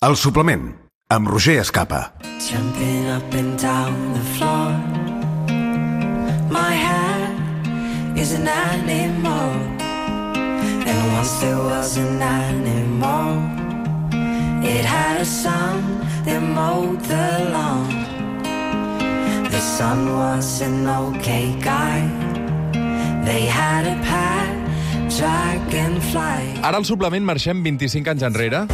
El suplement, amb Roger Escapa. Jumping up and down the floor. My head is an animal, and once there was an animal. It had a son that mowed the lawn. The son was an okay guy. They had a pet dragonfly. Ara al suplement marxem 25 anys enrere.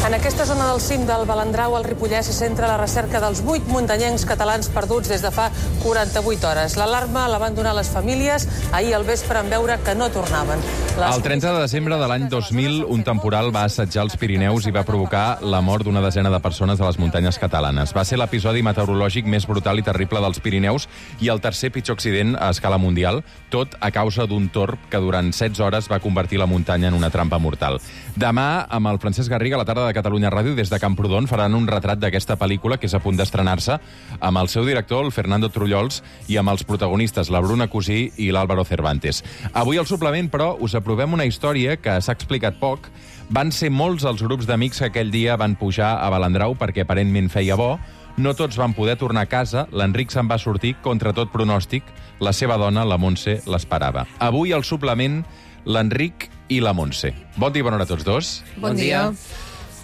En aquesta zona del cim del Balandrau, al Ripollès, se centra la recerca dels 8 muntanyencs catalans perduts des de fa 48 hores. L'alarma la van donar les famílies ahir al vespre en veure que no tornaven. El 30 de desembre de l'any 2000, un temporal va assetjar els Pirineus i va provocar la mort d'una desena de persones a les muntanyes catalanes. Va ser l'episodi meteorològic més brutal i terrible dels Pirineus i el tercer pitjor accident a escala mundial, tot a causa d'un torb que durant 16 hores va convertir la muntanya en una trampa mortal. Demà, amb el Francesc Garriga, a la tarda de Catalunya Ràdio, des de Camprodon, faran un retrat d'aquesta pel·lícula que és a punt d'estrenar-se amb el seu director, el Fernando Trullols, i amb els protagonistes, la Bruna Cusí i l'Álvaro Cervantes. Avui al suplement, però, us aprovem una història que s'ha explicat poc. Van ser molts els grups d'amics que aquell dia van pujar a Balandrau perquè aparentment feia bo. No tots van poder tornar a casa. L'Enric se'n va sortir contra tot pronòstic. La seva dona, la Montse, l'esperava. Avui al suplement, l'Enric i la Montse. Bon dia i bona hora a tots dos. Bon dia.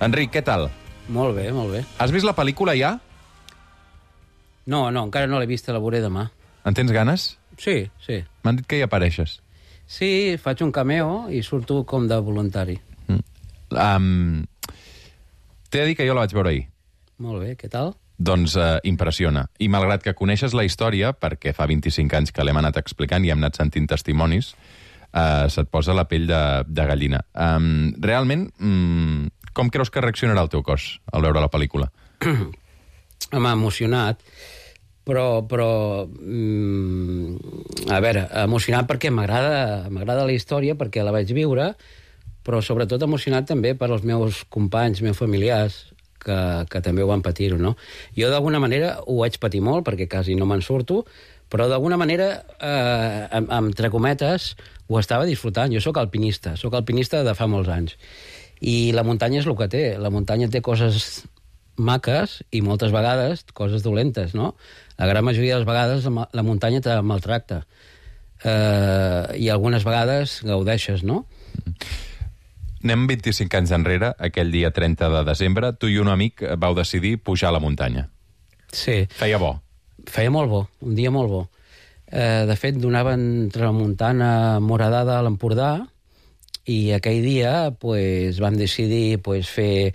Enric, què tal? Molt bé, molt bé. Has vist la pel·lícula ja? No, encara no l'he vista, la veuré demà. En tens ganes? Sí, sí. M'han dit que hi apareixes. Sí, faig un cameo i surto com de voluntari. T'he de dir que jo la vaig veure ahir. Molt bé, què tal? Doncs impressiona. I malgrat que coneixes la història, perquè fa 25 anys que l'hem anat explicant i hem anat sentint testimonis, se't posa la pell de gallina. Realment, com creus que reaccionarà el teu cos al veure la pel·lícula? M'ha emocionat, però a veure, emocionat perquè m'agrada la història, perquè la vaig viure, però sobretot emocionat també per als meus companys, meus familiars, que també ho van patir-ho, no? Jo d'alguna manera ho vaig patir molt, perquè quasi no me'n surto, però d'alguna manera, entre cometes, ho estava disfrutant. Jo sóc alpinista de fa molts anys. I la muntanya és el que té. La muntanya té coses maques i moltes vegades coses dolentes, no? La gran majoria de les vegades la muntanya te maltracta. I algunes vegades gaudeixes, no? Anem 25 anys enrere, aquell dia 30 de desembre, tu i un amic vau decidir pujar a la muntanya. Sí. Feia bo. Feia molt bo, un dia molt bo. De fet, donaven tramuntana moradada a l'Empordà i aquell dia vam decidir fer...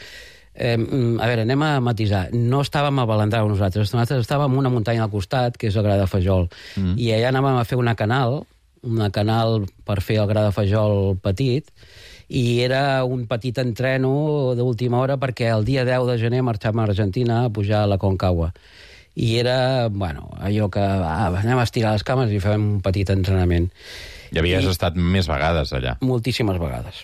A veure, anem a matisar. No estàvem a Balandrau nosaltres estàvem en una muntanya al costat, que és el Gra de Fajol, i allà anàvem a fer una canal per fer el Gra de Fajol petit, i era un petit entreno d'última hora perquè el dia 10 de gener marxàvem a Argentina a pujar a la Concagua. I era, allò que anem a estirar les cames i fem un petit entrenament. I havies estat més vegades allà. Moltíssimes vegades.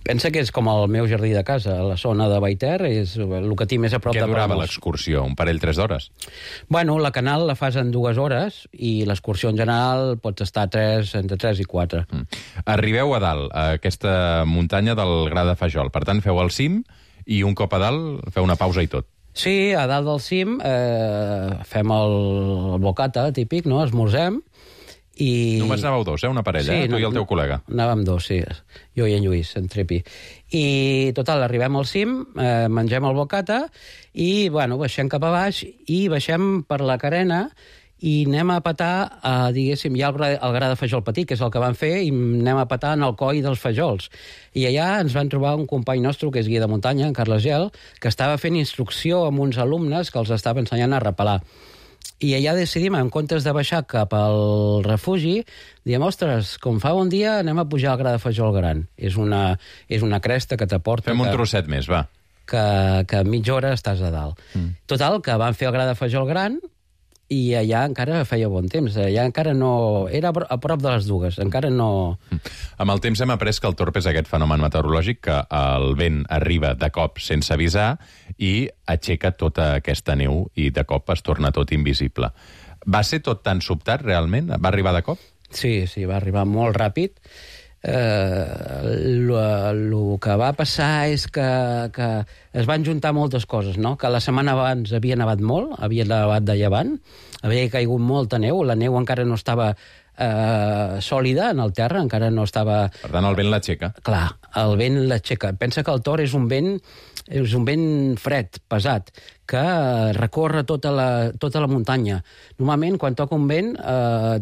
Pensa que és com el meu jardí de casa, la zona de Baiter, és el que tinc més a prop de Palamós. Què durava l'excursió? Un parell, 3 d'hores? La canal la fas en 2 hores i l'excursió en general pots estar entre 3 i 4. Arribeu a dalt, a aquesta muntanya del Gra de Fajol. Per tant, feu el cim i un cop a dalt feu una pausa i tot. Sí, a dalt del cim fem el bocata típic, no? Esmorzem. Només anàveu 2, una parella, tu i el teu col·lega. Anàvem 2, sí, jo i en Lluís, en Trepi. I, total, arribem al cim, mengem el bocata i, baixem cap a baix i baixem per la carena i anem a petar, diguéssim, hi ha el Gra de Fajol petit, que és el que van fer, i anem a petar en el coll dels fajols. I allà ens van trobar un company nostre, que és guia de muntanya, en Carles Gel, que estava fent instrucció amb uns alumnes que els estava ensenyant a repelar. I allà decidim, en comptes de baixar cap al refugi, diem, ostres, com fa bon dia, anem a pujar al Gra de Fajol Gran. És una cresta que t'aporta... Fem un trosset més, va. Que mitja hora estàs a dalt. Total, que van fer el Gra de Fajol Gran i allà encara feia bon temps. Allà encara no... Era a prop de les 2, encara no... Amb el temps hem après que el torb és aquest fenomen meteorològic que el vent arriba de cop sense avisar i aixeca tota aquesta neu i de cop es torna tot invisible. Va ser tot tan sobtat, realment? Va arribar de cop? Sí, va arribar molt ràpid. el que va passar és que es van juntar moltes coses, no? Que la setmana abans havia nevat molt, havia nevat de llevant, havia caigut molta neu, la neu encara no estava sòlida en el terra, encara no estava... Per tant, el vent l'aixeca. Clar, el vent l'aixeca. Pensa que el Tor és un vent fred, pesat, que recorre tota la muntanya. Normalment, quan toca un vent,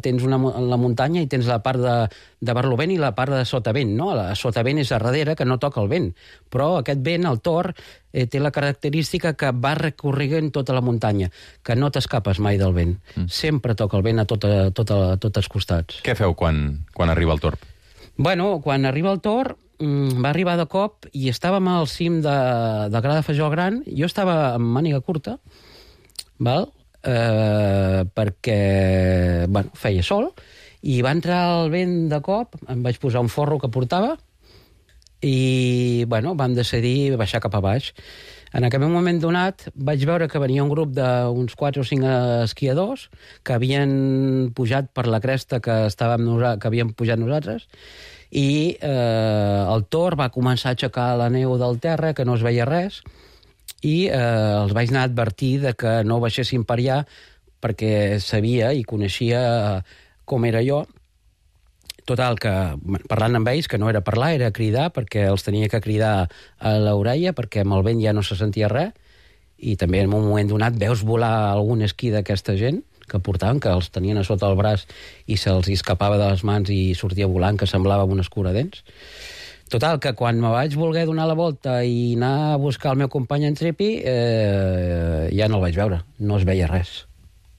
tens la muntanya i tens la part de barlovent i la part de sotavent, no? La sotavent és a darrere, que no toca el vent. Però aquest vent, el Tor, té la característica que va recorrent tota la muntanya, que no t'escapes mai del vent. Sempre toca el vent a tots els costats. Què feu quan arriba el Tor? Bueno, quan arriba el Tor, va arribar de cop i estàvem al cim de Gra de Fajol Gran. Jo estava amb màniga curta, val? Perquè feia sol, i va entrar el vent de cop, em vaig posar un forro que portava i vam decidir baixar cap a baix. En aquell moment donat vaig veure que venia un grup d'uns 4 o 5 esquiadors que havien pujat per la cresta que havíem pujat nosaltres, i el Tor va començar a aixecar la neu del terra, que no es veia res, i els vaig anar a advertir de que no baixessin per allà, perquè sabia i coneixia com era jo. Total, que parlant amb ells, que no era parlar, era cridar, perquè els tenia que cridar a l'orella, perquè amb el vent ja no se sentia res, i també en un moment donat veus volar algun esquí d'aquesta gent que portaven, que els tenien a sota el braç i se'ls escapava de les mans i sortia volant, que semblava un escuradents. Total, que quan me vaig voler donar la volta i anar a buscar el meu company en Trepi, ja no el vaig veure, no es veia res.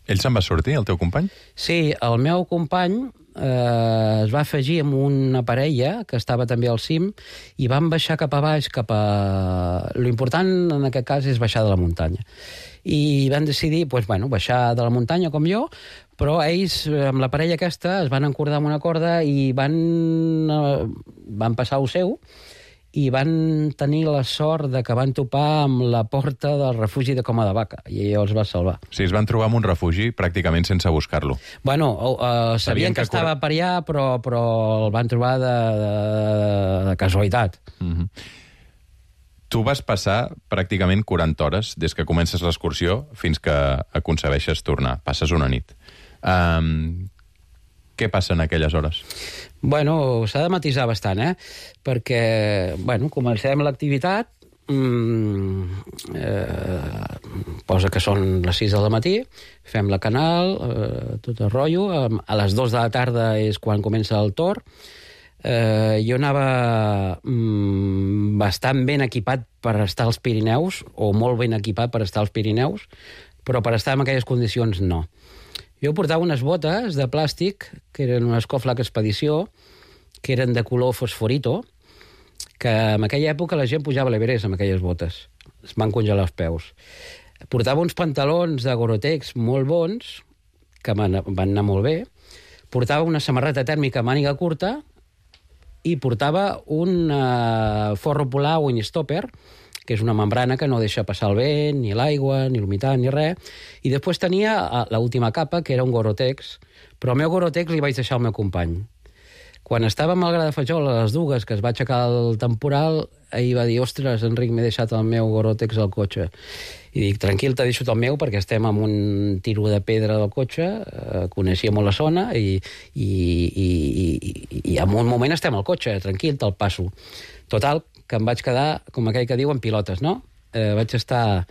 Ell se'n va sortir, el teu company? Sí, el meu company es va afegir amb una parella que estava també al cim i van baixar cap a baix, Lo important en aquest cas és baixar de la muntanya. I van decidir baixar de la muntanya com jo, però ells, amb la parella aquesta, es van encordar amb una corda i van passar el seu, i van tenir la sort de que van topar amb la porta del refugi de Coma de Vaca, i allò els va salvar. Sí, es van trobar en un refugi pràcticament sense buscar-lo. Sabien que estava per allà, però el van trobar de casualitat. Tu vas passar pràcticament 40 hores des que comences l'excursió fins que aconsegueixes tornar. Passes una nit. Què passa en aquelles hores? S'ha de matisar bastant, perquè, comencem l'activitat, posa que són les 6 del matí, fem la canal, tot el rotllo, a les 2 de la tarda és quan comença el Tor. Jo anava bastant ben equipat per estar als Pirineus, o molt ben equipat per estar als Pirineus, però per estar en aquelles condicions no. Jo portava unes botes de plàstic, que eren una Scoflac Expedició, que eren de color fosforito, que en aquella època la gent pujava a l'Everest amb aquelles botes. Es van congelar els peus. Portava uns pantalons de Gore-Tex molt bons, que van anar molt bé. Portava una samarreta tèrmica màniga curta i portava un forro polar Windstopper, que és una membrana que no deixa passar el vent, ni l'aigua, ni l'humitat, ni res. I després tenia l'última capa, que era un Gore-Tex, però el meu Gore-Tex li vaig deixar al meu company. Quan estàvem al Gra de Fajol, a les dues, que es va aixecar el temporal, ell va dir, ostres, Enric, m'he deixat el meu Gore-Tex al cotxe. I dic, tranquil, t'he deixat el meu, perquè estem en un tiro de pedra del cotxe, coneixia molt la zona, i en un moment estem al cotxe, tranquil, te'l passo. Total, que em vaig quedar, com aquell que diu, en pilotes, no? Vaig estar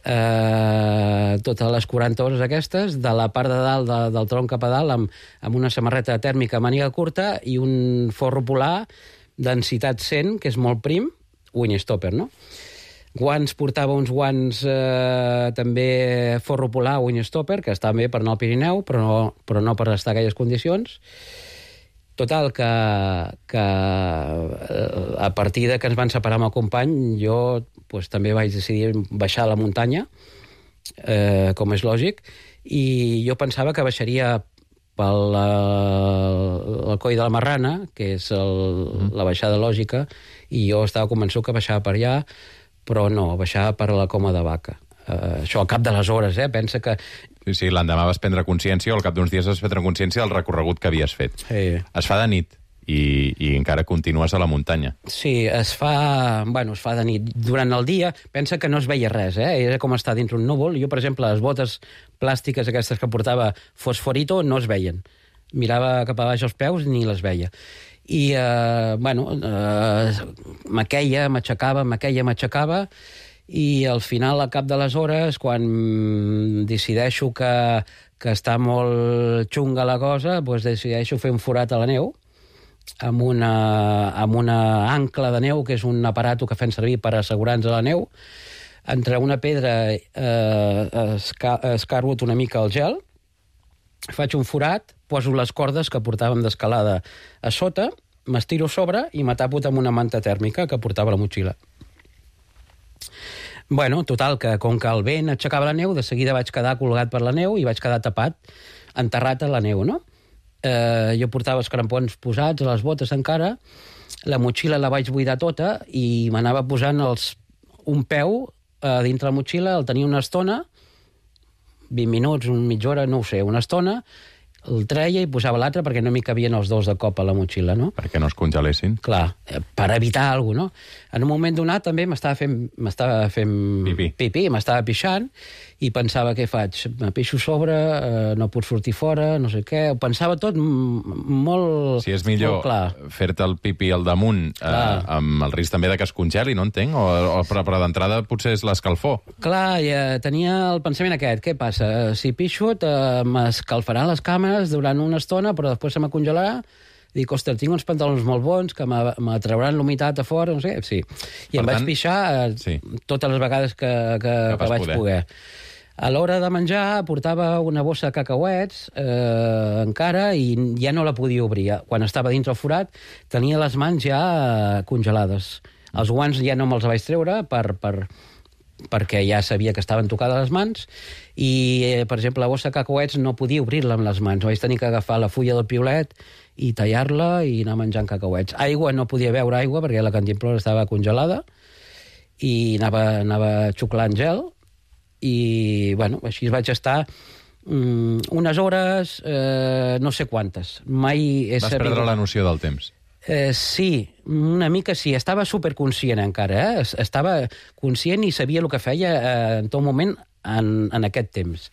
totes les 40 hores aquestes, de la part de dalt, del tronc cap a dalt, amb una samarreta tèrmica màniga curta i un forro polar densitat 100, que és molt prim, Windstopper, no? Guants, portava uns guants també forro polar Windstopper, que estan bé per anar al Pirineu, però no per estar en aquelles condicions. Total, que a partir de que ens van separar amb el company, jo també vaig decidir baixar a la muntanya, com és lògic, i jo pensava que baixaria pel coll de la Marrana, que és la baixada lògica, i jo estava convençut que baixava per allà, però no, baixava per la Coma de Vaca. Això al cap de les hores, pensa que... Sí, l'endemà vas prendre consciència, o al cap d'uns dies vas prendre consciència del recorregut que havies fet. Sí. Es fa de nit. i encara continues a la muntanya. Sí, es fa de nit. Durant el dia, pensa que no es veia res, era com estar dintre un núvol. Jo, per exemple, les botes plàstiques aquestes que portava fosforito no es veien. Mirava cap a baix els peus, ni les veia. I, m'aixecava, i al final, al cap de les hores, quan decideixo que està molt xunga la cosa, doncs decideixo fer un forat a la neu, amb una ancla de neu, que és un aparato que fem servir per assegurar-nos a la neu. Entre una pedra escarbut una mica el gel, faig un forat, poso les cordes que portàvem d'escalada a sota, m'estiro sobre i m'atapo amb una manta tèrmica que portava a la motxilla. Bueno, total, que com que el vent aixecava la neu, de seguida vaig quedar colgat per la neu i vaig quedar tapat, enterrat a la neu, no? Jo portava els crampons posats, les botes encara, la motxilla la vaig buidar tota i m'anava posant un peu dintre la motxilla, el tenia una estona, 20 minuts, mitja hora, no ho sé, una estona, el treia i posava l'altre perquè no m'hi cabien els dos de cop a la motxilla, no? Perquè no es congelessin. Clar, per evitar alguna cosa, no? En un moment donat també m'estava fent pipí, m'estava pixant, i pensava, què faig? Me pixo sobre, no puc sortir fora, no sé què. Ho pensava tot molt... Si és millor fer-te el pipí al damunt, amb el risc també de que es congeli, no entenc? Però d'entrada potser és l'escalfor. Clar, tenia el pensament aquest. Què passa? Si pixo, m'escalfaran les cames durant una estona, però després se m'acongelarà. Dic, ostres, tinc uns pantalons molt bons que m'atrauran l'humitat a fora, no sé, sí. I em vaig pixar totes les vegades que vaig poder. A l'hora de menjar portava una bossa de cacauets encara i ja no la podia obrir. Quan estava dintre el forat tenia les mans ja congelades. Els guants ja no me'ls vaig treure perquè ja sabia que estaven tocades les mans i, per exemple, la bossa de cacauets no podia obrir-la amb les mans. Vaig tenir que agafar la fulla del piolet i tallar-la i anar menjant cacauets. Aigua, no podia beure aigua perquè la cantimplora estava congelada i anava xuclant gel i, bueno, així vaig estar unes hores, no sé quantes. Vas perdre la noció del temps. Sí, una mica sí. Estava superconscient encara, Estava conscient i sabia el que feia en tot moment en aquest temps.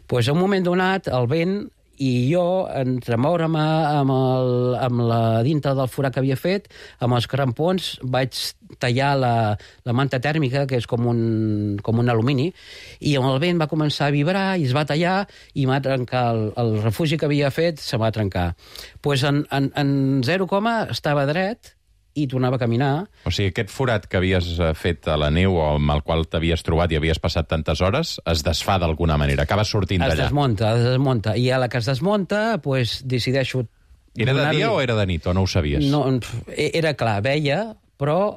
Pues a un moment donat, el vent i jo, entre moure'm amb la dintre del forat que havia fet, amb els crampons, vaig tallar la manta tèrmica, que és com un alumini, i amb el vent va començar a vibrar i es va tallar i m'ha trencat el refugi que havia fet, se va trencar. Pues en 0, estava dret i tornava a caminar. O sigui, aquest forat que havies fet a la neu o amb el qual t'havies trobat i havies passat tantes hores, es desfà d'alguna manera, acabes sortint d'allà. Es desmunta. I a la que es desmunta, pues, decideixo... Era de dia o era de nit, o no ho sabies? No, era clar, veia, però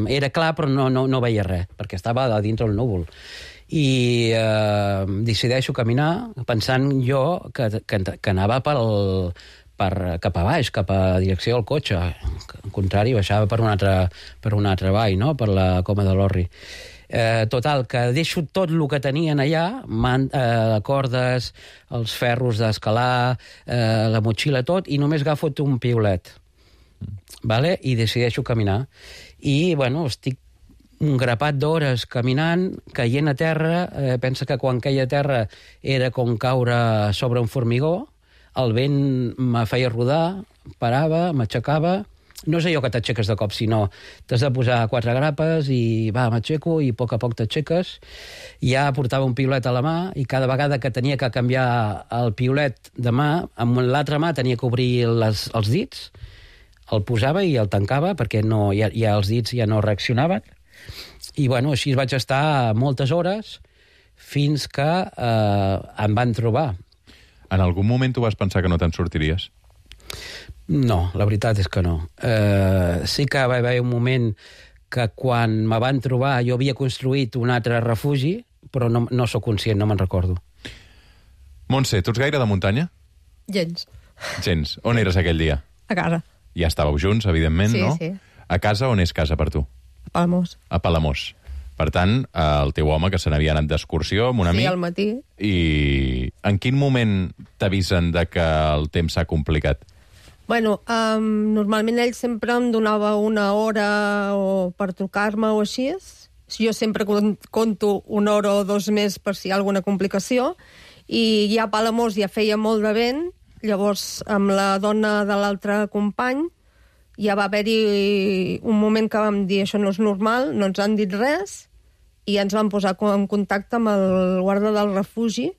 era clar, però no veia res, perquè estava a dintre el núvol. I decideixo caminar, pensant jo que anava cap a baix, cap a direcció del cotxe. Al contrari, baixava per un altre vall, no? Per la Coma de l'Orri. Total, que deixo tot el que tenien allà, cordes, els ferros d'escalar, la motxilla, tot, i només agafo un piolet. Vale? I decideixo caminar. I, bueno, estic un grapat d'hores caminant, caient a terra, pensa que quan caia a terra era com caure sobre un formigó, el vent me feia rodar, parava, m'aixecava. No és allò que t'aixeques de cop, sinó t'has de posar 4 grapes i m'aixeco i a poc t'aixeques. Ja portava un piolet a la mà i cada vegada que tenia que canviar el piolet de mà, amb l'altra mà tenia que obrir els dits, el posava i el tancava perquè ja els dits ja no reaccionaven. I, bueno, així vaig estar moltes hores fins que em van trobar. En algun moment tu vas pensar que no te'n sortiries? No, la veritat és que no. Sí que va haver un moment que quan me van trobar jo havia construït un altre refugi, però no sóc conscient, no me'n recordo. Montse, tu ets gaire de muntanya? Gens. On eres aquell dia? A casa. Ja estàveu junts, evidentment, no? Sí. A casa, on és casa per tu? A Palamós. A Palamós. Per tant, el teu home, que se n'havia anat d'excursió amb un amic... Sí, al matí. I en quin moment t'avisen de que el temps s'ha complicat? Bueno, normalment ell sempre em donava una hora per trucar-me o així. Jo sempre conto una hora o dos més per si hi ha alguna complicació. I ja a Palamós ja feia molt de vent. Llavors, amb la dona de l'altre company, ja va haver-hi un moment que vam dir això no és normal, no ens han dit res, i ens vam posar en contacte amb el guarda del refugi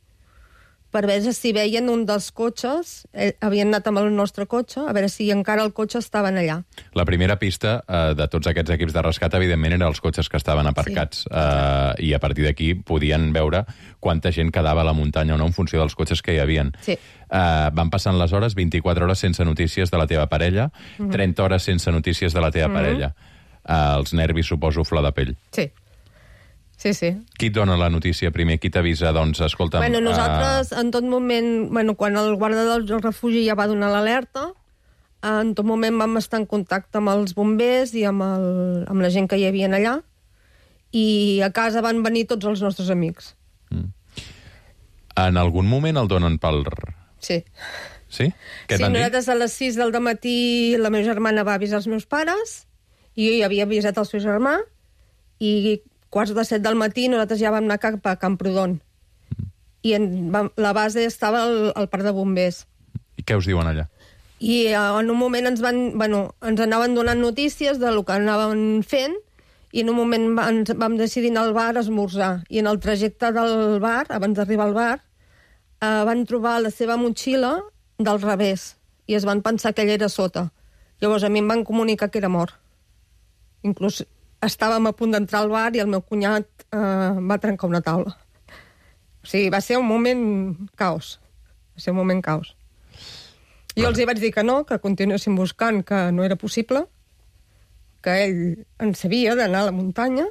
per veure si veien un dels cotxes, havien anat amb el nostre cotxe, a veure si encara el cotxe estaven allà. La primera pista de tots aquests equips de rescat, evidentment, eren els cotxes que estaven aparcats, i a partir d'aquí podien veure quanta gent quedava a la muntanya o no en funció dels cotxes que hi havien. Sí. Van passant les hores, 24 hores sense notícies de la teva parella, 30 hores sense notícies de la teva parella. Els nervis, suposo, flor de pell. Sí. Sí, sí. Qui et dona la notícia primer? Qui t'avisa? Doncs, escolta'm... Bueno, nosaltres, en tot moment... Bueno, quan el guarda del refugi ja va donar l'alerta, en tot moment vam estar en contacte amb els bombers i amb la gent que hi havia allà, i a casa van venir tots els nostres amics. En algun moment el donen pel... Sí. Sí? Què et Sí, van dir? nosaltres a les 6 del dematí la meva germana va avisar els meus pares, i jo ja havia avisat el seu germà, i 6:45 del matí nosaltres ja vam anar cap a Camprodon. I la base estava al parc de bombers. I què us diuen allà? I en un moment ens anaven donant notícies del que anaven fent, i en un moment vam decidir anar al bar a esmorzar. I en el trajecte del bar, abans d'arribar al bar, van trobar la seva motxilla del revés, i es van pensar que ell era sota. Llavors a mi em van comunicar que era mort. Inclús estàvem a punt d'entrar al bar i el meu cunyat va trencar una taula. O sigui, va ser un moment caos. Va ser un moment caos. Jo els hi vaig dir que no, que continuéssim buscant, que no era possible, que ell en sabia d'anar a la muntanya,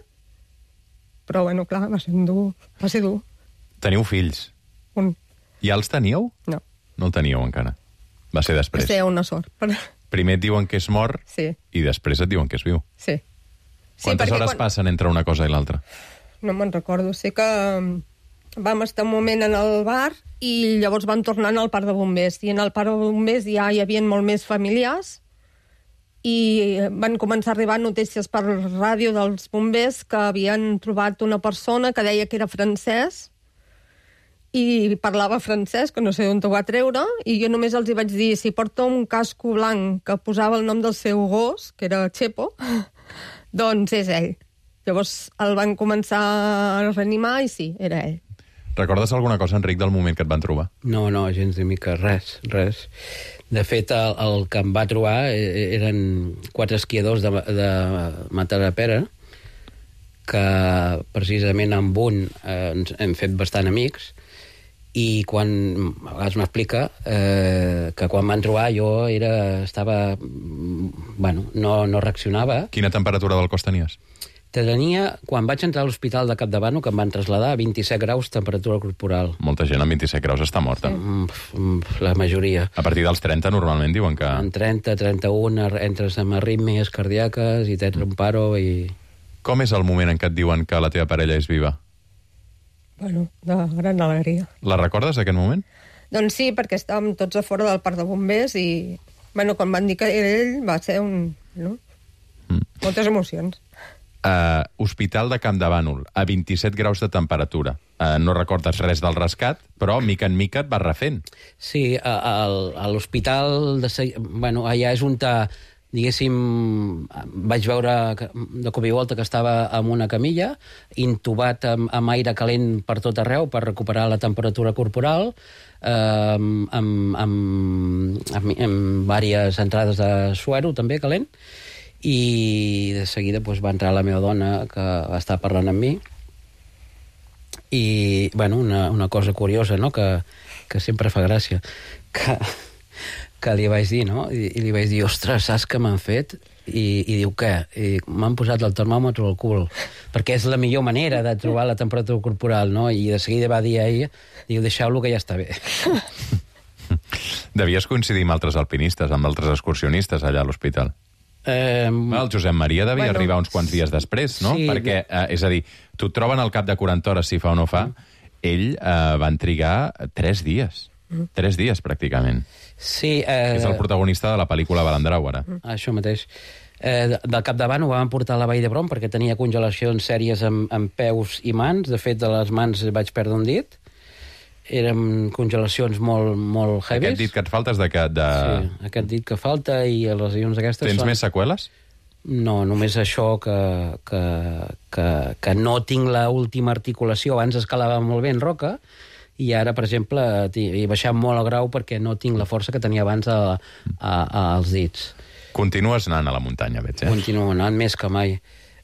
però, bueno, clar, va ser dur. Teniu fills? Un. Ja els teníeu? No. No el teníeu encara. Va ser després. Va ser una sort. Primer et diuen que és mort, Sí. i després et diuen que és viu. Sí. Quantes hores passen entre una cosa i l'altra? No me'n recordo. Sé que vam estar un moment en el bar i llavors vam tornar al parc de bombers. I en el parc de bombers ja hi havia molt més familiars i van començar a arribar notícies per ràdio dels bombers que havien trobat una persona que deia que era francès i parlava francès, que no sé on ho va treure, i jo només els hi vaig dir, si porta un casco blanc que posava el nom del seu gos, que era Chepo, doncs és ell. Llavors el van començar a reanimar i sí, era ell. Recordes alguna cosa, Enric, del moment que et van trobar? No, gens de mica, res. De fet, el que em va trobar eren 4 esquiadors de Matadepera, que precisament amb un ens hem fet bastant amics, i a vegades m'explica que quan van trobar jo estava... Bueno, no reaccionava. Quina temperatura del cos tenies? Tenia, quan vaig entrar a l'hospital de Campdevànol, que em van traslladar, 27 graus temperatura corporal. Molta gent amb 27 graus està morta. La majoria. A partir dels 30 normalment diuen que... En 30, 31, entres amb arrítmies cardíaques i tens un paro i... Com és el moment en què et diuen que la teva parella és viva? Bueno, de gran alegria. La recordes, aquest moment? Doncs sí, perquè estàvem tots a fora del parc de bombers i, bueno, quan van dir que era ell, va ser moltes emocions. Hospital de Campdevànol, a 27 graus de temperatura. No recordes res del rescat, però mica en mica et vas refent. Sí, a l'hospital... Bueno, allà és on, diguéssim, vaig veure de cop i volta que estava en una camilla, intubat amb aire calent per tot arreu per recuperar la temperatura corporal, amb diverses entrades de suero, també, calent, i de seguida va entrar la meva dona, que va estar parlant amb mi, i, bueno, una cosa curiosa, no?, que sempre fa gràcia, que li vaig dir, no?, i li vaig dir, ostres, saps què m'han fet? I diu, què? I m'han posat el termòmetre al cul, perquè és la millor manera de trobar la temperatura corporal, no?, i de seguida va dir a ella, diu, deixeu-lo que ja està bé. Devies coincidir amb altres alpinistes, amb altres excursionistes allà a l'hospital. El Josep Maria devia arribar uns quants dies després, no? Sí, perquè, és a dir, tu et troben al cap de 40 hores, si fa o no fa, ell van trigar 3 dies. 3 dies, pràcticament. Sí. És el protagonista de la pel·lícula Balandrau, ara. Això mateix. Del capdavant ho vam portar a la Vall d'Hebron perquè tenia congelacions sèries amb peus i mans. De fet, de les mans vaig perdre un dit. Eren congelacions molt heavies. Aquest dit que et falta és de... Sí, aquest dit que falta i les lesions aquestes Tens més seqüeles? No, només això que no tinc l'última articulació. Abans escalava molt bé en roca i ara, per exemple, he baixat molt el grau perquè no tinc la força que tenia abans als dits. Continues anant a la muntanya, veig, Continuo anant més que mai.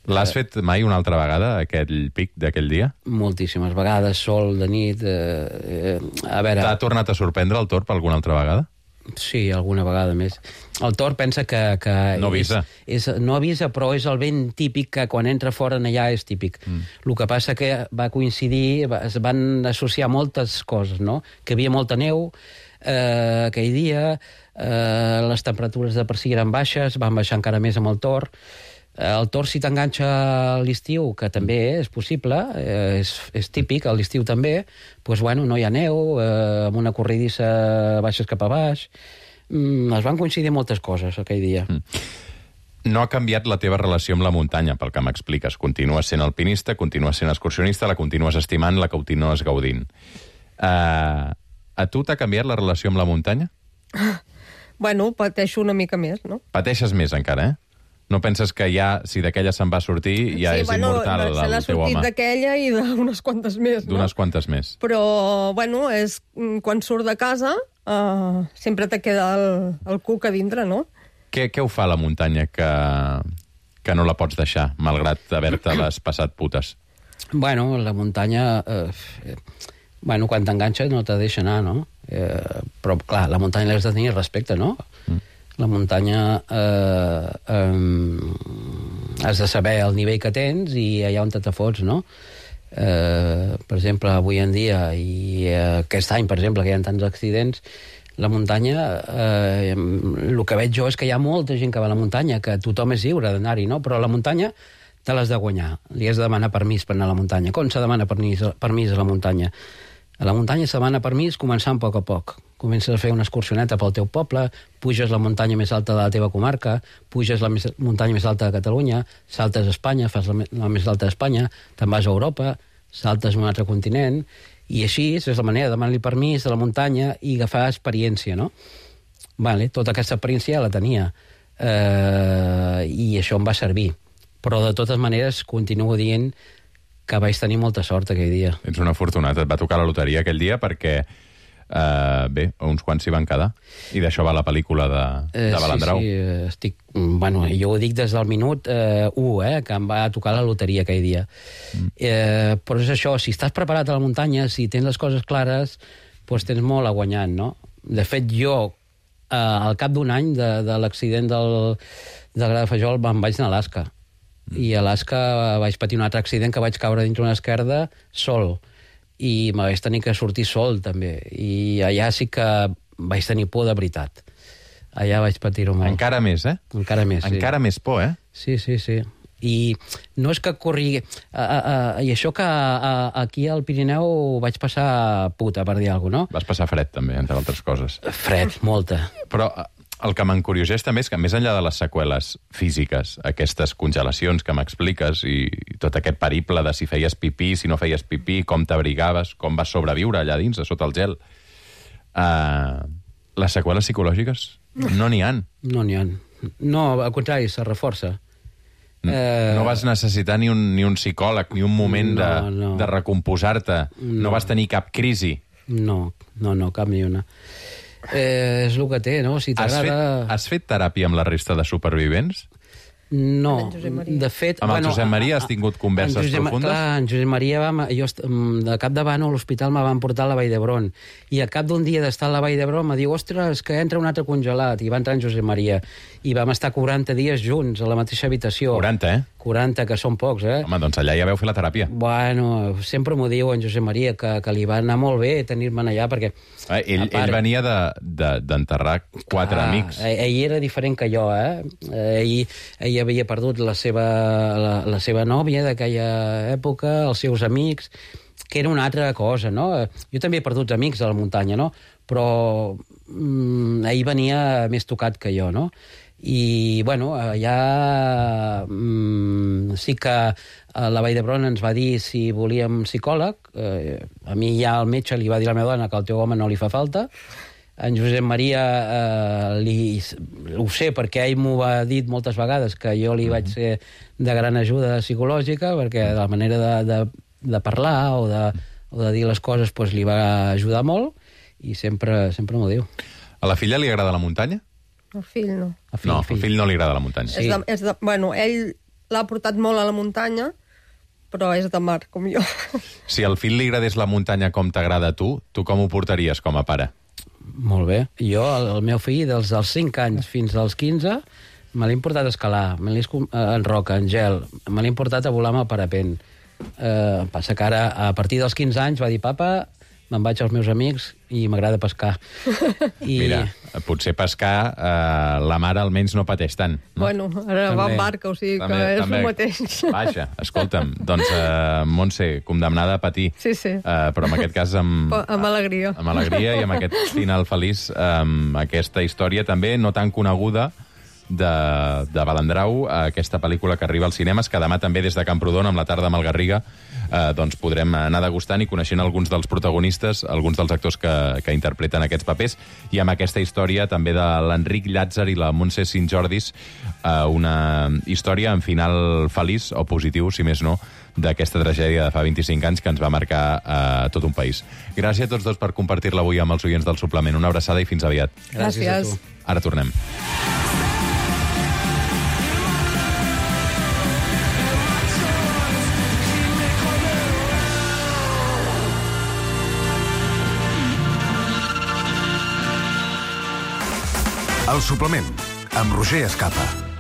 L'has fet mai una altra vegada, aquell pic d'aquell dia? Moltíssimes vegades, sol, de nit... A veure... T'ha tornat a sorprendre el Torp alguna altra vegada? Sí, alguna vegada més. El Torp pensa que no avisa. No avisa, però és el vent típic que quan entra fora allà és típic. El que passa que va coincidir, es van associar moltes coses, no? Que hi havia molta neu aquell dia, les temperatures de per si eren baixes, van baixar encara més amb el Torp. El Torp, si t'enganxa a l'estiu, que també és possible, és típic, a l'estiu també, doncs, bueno, no hi ha neu, amb una corridissa baixes cap a baix. Es van coincidir moltes coses aquell dia. No ha canviat la teva relació amb la muntanya, pel que m'expliques. Continues sent alpinista, continues sent excursionista, la continues estimant, la continues gaudint. A tu t'ha canviat la relació amb la muntanya? Bueno, pateixo una mica més, no? Pateixes més encara, No penses que ja, si d'aquella se'n va sortir, ja és immortal el teu home? Se n'ha sortit d'aquella i d'unes quantes més, no? D'unes quantes més. Però, bueno, és quan surt de casa sempre te queda el cuc a dintre, no? Què ho fa la muntanya que no la pots deixar, malgrat haver-te-les passat putes? Bueno, la muntanya... quan t'enganxes no te deixa anar, no? Però, clar, la muntanya l'has de tenir respecte, no? La muntanya has de saber el nivell que tens i allà on te fots, no? Per exemple, avui en dia i aquest any, per exemple, que hi ha tants accidents, la muntanya, el que veig jo és que hi ha molta gent que va a la muntanya, que tothom és lliure d'anar-hi, no? Però la muntanya te l'has de guanyar. Li has de demanar permís per anar a la muntanya. Com se demana permís a la muntanya? A la muntanya se demana permís començant a poc a poc. Comences a fer una excursioneta pel teu poble, puges la muntanya més alta de la teva comarca, puges la muntanya més alta de Catalunya, saltes a Espanya, fas la més alta d'Espanya, te'n vas a Europa, saltes a un altre continent, i així és la manera de demanar-li permís a la muntanya i agafar experiència, no? Vale, tota aquesta experiència ja la tenia, i això em va servir. Però de totes maneres continuo dient que vaig tenir molta sort aquell dia. Ets un afortunat. Et va tocar la loteria aquell dia perquè, uns quants s'hi van quedar. I d'això va la pel·lícula de Balandrau. Sí, jo ho dic des del minut 1, que em va tocar la loteria aquell dia. Però és això, si estàs preparat a la muntanya, si tens les coses clares, doncs tens molt a guanyar, no? De fet, jo, al cap d'un any de l'accident del Gra de Fajol, me'n vaig anar a Alaska. I a Alaska vaig patir un altre accident que vaig caure dintre una esquerda sol i me vaig tenir que sortir sol també, i allà sí que vaig tenir por de veritat. Allà vaig patir-ho molt. Encara més, Encara més, sí. Encara més por, Sí. I no és que corri... I això que aquí al Pirineu vaig passar puta, per dir alguna cosa, no? Vas passar fred, també, entre altres coses. Fred, molta. Però el que m'encurioseix també és que, més enllà de les seqüeles físiques, aquestes congelacions que m'expliques i tot aquest periple de si feies pipí, si no feies pipí, com t'abrigaves, com vas sobreviure allà dins, sota el gel, les seqüeles psicològiques no n'hi ha. No n'hi ha. No, al contrari, se reforça. No vas necessitar ni un psicòleg, ni un moment de recomposar-te. No vas tenir cap crisi. No, cap ni una. És el que té, no? Si t'agrada... Has fet teràpia amb la resta de supervivents? No, de fet... Amb el Josep Maria has tingut converses profundes? Clar, en Josep Maria, jo de cap davant a l'hospital me van portar a la Vall d'Hebron, i al cap d'un dia d'estar a la Vall d'Hebron me diu, ostres, que entra un altre congelat, i va entrar en Josep Maria, i vam estar 40 dies junts a la mateixa habitació. 40, 40, que són pocs, Home, doncs allà ja vau fer la teràpia. Bueno, sempre m'ho diu en Josep Maria, que li va anar molt bé tenir-me'n allà, perquè... Ell venia d'enterrar 4 amics. Ell era diferent que jo, Ell ell havia perdut la seva nòvia d'aquella època, els seus amics, que era una altra cosa, no? Jo també he perdut amics a la muntanya, no? Però ell venia més tocat que jo, no? I, bueno, allà sí que la Vall d'Hebron ens va dir si volíem psicòleg. A mi ja el metge li va dir a la meva dona que al teu home no li fa falta. En Josep Maria ho sé perquè ell m'ho ha dit moltes vegades, que jo li vaig ser de gran ajuda psicològica, perquè de la manera de parlar o de dir les coses pues, li va ajudar molt, i sempre m'ho diu. A la filla li agrada la muntanya? El fill no. No, al fill no li agrada la muntanya. Sí. Bueno, ell l'ha portat molt a la muntanya, però és de mar, com jo. Si al fill li agradés la muntanya com t'agrada a tu com ho portaries com a pare? Molt bé. Jo, el meu fill, dels 5 anys fins als 15, me l'he importat a escalar, en roca, en gel, me l'he importat a volar amb el parapent. Passa que ara, a partir dels 15 anys, va dir, papa, me'n vaig als meus amics i m'agrada pescar. Mira, potser pescar la mare almenys no pateix tant. No? Bueno, ara va en barca, o sigui que és el mateix. Vaja, escolta'm, doncs Montse, condemnada a patir. Sí. Però en aquest cas amb alegria. Amb alegria i amb aquest final feliç, aquesta història també no tan coneguda de Balandrau, aquesta pel·lícula que arriba als cinemes, que demà també des de Camprodon, amb la tarda amb el Garriga, doncs podrem anar degustant i coneixent alguns dels protagonistes, alguns dels actors que interpreten aquests papers, i amb aquesta història també de l'Enric Llàtzer i la Montse Sintjordis, una història en final feliç o positiu, si més no, d'aquesta tragèdia de fa 25 anys que ens va marcar tot un país. Gràcies a tots dos per compartir-la avui amb els oients del Suplement. Una abraçada i fins aviat. Gràcies a tu. Ara tornem. El Suplement, amb Roger Escapa.